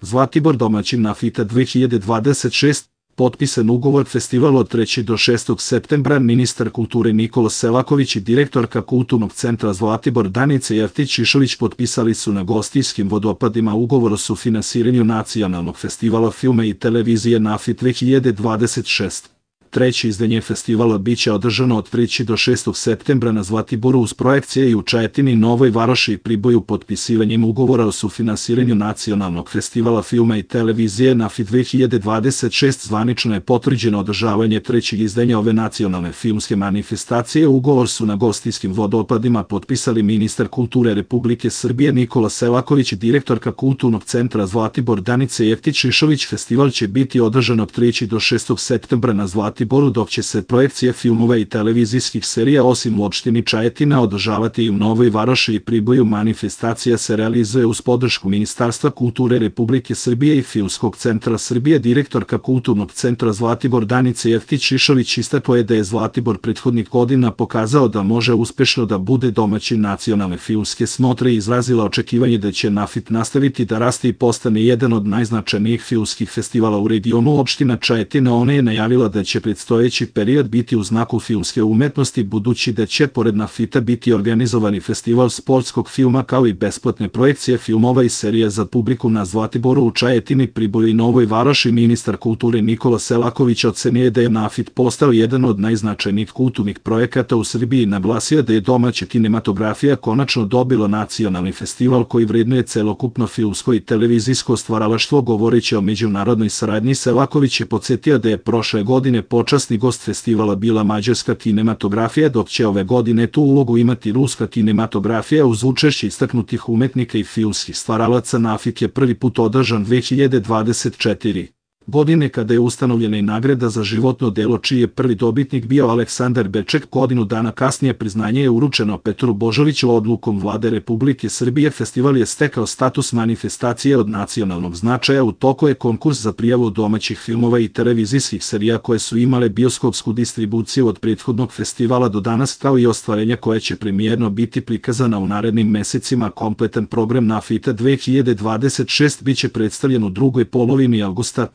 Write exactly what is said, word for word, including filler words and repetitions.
Zlatibor domaćin NAFITA dve hiljade dvadeset šest, potpisan ugovor festival od trećeg do šestog septembra, ministar kulture Nikola Selaković i direktorka Kulturnog centra Zlatibor Danica Jeftić-Šišović potpisali su na Gostijskim vodopadima ugovor o sufinansiranju nacionalnog festivala filma i televizije NAFIT dve hiljade dvadeset šest. Treće izdanje festivala biće održano od trećeg do šestog septembra na Zlatiboru uz projekcije i u Čajetini, Novoj Varoši i Priboju. Potpisivanjem ugovora o sufinansiranju nacionalnog festivala filma i televizije NAFIT dve hiljade dvadeset šest zvanično je potvrđeno održavanje trećeg izdanja ove nacionalne filmske manifestacije. Ugovor su na Gostijskim vodopadima potpisali ministar kulture Republike Srbije Nikola Selaković i direktorka Kulturnog centra Zlatibor Danica Jeftić-Šišović. Festival će biti održan od trećeg do šestog septembra na Zlatiboru, dok će se projekcije filmova i televizijskih serija osim u opštini Čajetina održavati i u Novoj Varoši i Priboju. Manifestacija se realizuje uz podršku Ministarstva kulture Republike Srbije i Filmskog centra Srbije. Direktorka Kulturnog centra Zlatibor Danica Jeftić-Šišović istakla je da je Zlatibor prethodnih godina pokazao da može uspešno da bude domaćin nacionalne filmske smotre i izrazila očekivanje da će NAFIT nastaviti da raste i postane jedan od najznačajnijih filmskih festivala u regionu. Opština Čajetina ona je najavila da će predstojeći period biti u znaku filmske umetnosti, budući da će pored NAFITA biti organizovani festival sportskog filma kao i besplatne projekcije filmova i serija za publiku na Zlatiboru, u Čajetini, Priboju i Novoj Varoši. Ministar kulture Nikola Selaković ocenio je da je NAFIT postao jedan od najznačajnijih kulturnih projekata u Srbiji i naglasio da je domaća kinematografija konačno dobila nacionalni festival koji vrednuje celokupno filmsko i televizijsko stvaralaštvo. Govoreći o međunarodnoj saradnji, Selaković je podsjetio da je prošle godine počasni gost festivala bila mađarska kinematografija, dok će ove godine tu ulogu imati ruska kinematografija uz učešće istaknutih umetnika i filmskih stvaralaca. NAFIT je prvi put održan dve hiljade dvadeset četvrte. godine kada je ustanovljena i nagrada za životno delo, čiji je prvi dobitnik bio Aleksandar Beček. Godinu dana kasnije priznanje je uručeno Petru Božoviću odlukom Vlade Republike Srbije. Festival je stekao status manifestacije od nacionalnog značaja. U toku je konkurs za prijavu domaćih filmova i televizijskih serija koje su imale bioskopsku distribuciju od prethodnog festivala do danas, kao i ostvarenja koje će premijerno biti prikazana u narednim mesecima. Kompletan program NAFITA dve hiljade dvadeset šest biće predstavljen u drugoj polovini avgusta.